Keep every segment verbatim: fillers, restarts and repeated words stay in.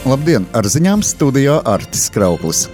Labdien! Ar ziņām studijā Artis Krauklis.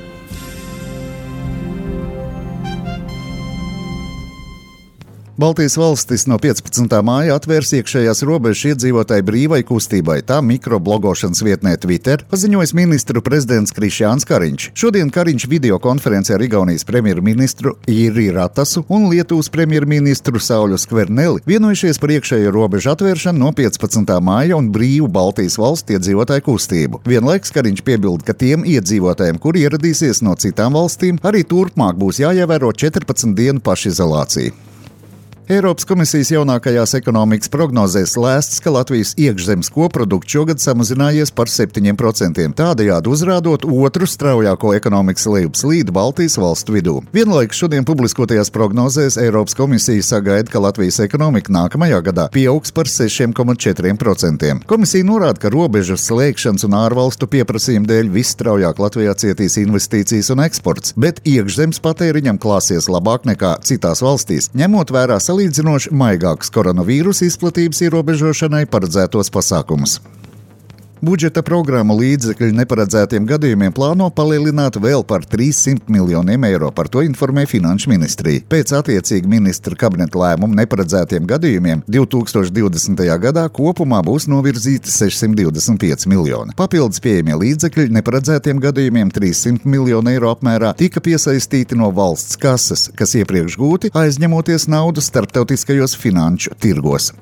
Baltijas valstis no piecpadsmitā māja atvērs iekšējās robežas iedzīvotāju brīvai kustībai, tā mikroblogošanas vietnē Twitter, paziņojis ministru prezidents Krišjāns Kariņš. Šodien Kariņš videokonferencē ar Igaunijas premjerministru Jiri Ratasu un Lietuvas premjerministru Sauliu Skverneli vienojušies par iekšējo robežu atvēršanu no piecpadsmitā māja un brīvu Baltijas valstu iedzīvotāju kustību. Vienlaiks Kariņš piebilda, ka tiem iedzīvotājiem, kuri ieradīsies no citām valstīm, arī turpmāk būs jāievēro četrpadsmit dienu pašizolācija. Eiropas komisijas jaunākajās ekonomikas prognozēs lēsts, ka Latvijas iekšzemes koprodukts šogad samazinājies par septiņiem procentiem, tādējādi uzrādot otru straujāko ekonomikas lejupslīdi Baltijas valstu vidū. Vienlaikus šodien publiskotajās prognozēs Eiropas komisija sagaida, ka Latvijas ekonomika nākamajā gadā pieaugs par sešiem komats četriem procentiem. Komisija norāda, ka robežu slēgšanas un ārvalstu pieprasījuma dēļ visstraujāk Latvijā cietīs investīcijas un eksports, bet iekšzemes patēriņam klāsies labāk nekā citās valstīs, ņemot vērā salīdzinoši maigāks koronavīrusa izplatības ierobežošanai paredzētos pasākumus. Budžeta programmu līdzekļu neparedzētiem gadījumiem plāno palielināt vēl par trīssimt miljoniem eiro, par to informē Finanšu ministrija. Pēc attiecīgi ministra kabineta lēmumu neparedzētiem gadījumiem divi tūkstoši divdesmitajā gadā kopumā būs novirzīti sešsimt divdesmit pieci miljoni. Papildus pieejamie līdzekļi neparedzētiem gadījumiem trīssimt miljonu eiro apmērā tika piesaistīti no valsts kases, kas iepriekš gūti aizņemoties naudu starptautiskajos finanšu tirgos.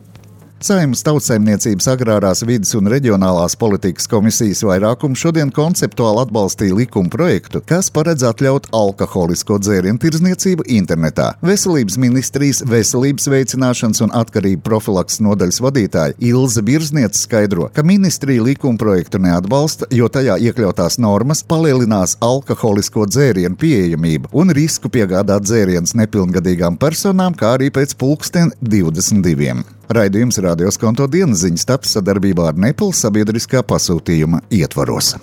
Saeimas Tautsaimniecības agrārās vides un reģionālās politikas komisijas vairākums šodien konceptuāli atbalstīja likuma projektu, kas paredz atļaut alkoholisko dzērienu tirdzniecību internetā. Veselības ministrijas veselības veicināšanas un atkarību profilakses nodaļas vadītāja Ilze Birzniece skaidro, ka ministrija likuma projektu neatbalsta, jo tajā iekļautās normas palielinās alkoholisko dzērienu pieejamību un risku piegādāt dzērienus nepilngadīgām personām, kā arī pēc pulksten divdesmit diviem. Raidījums Radio Skonto dienas ziņas taps sadarbībā ar Nepal sabiedriskā pasūtījuma ietvaros.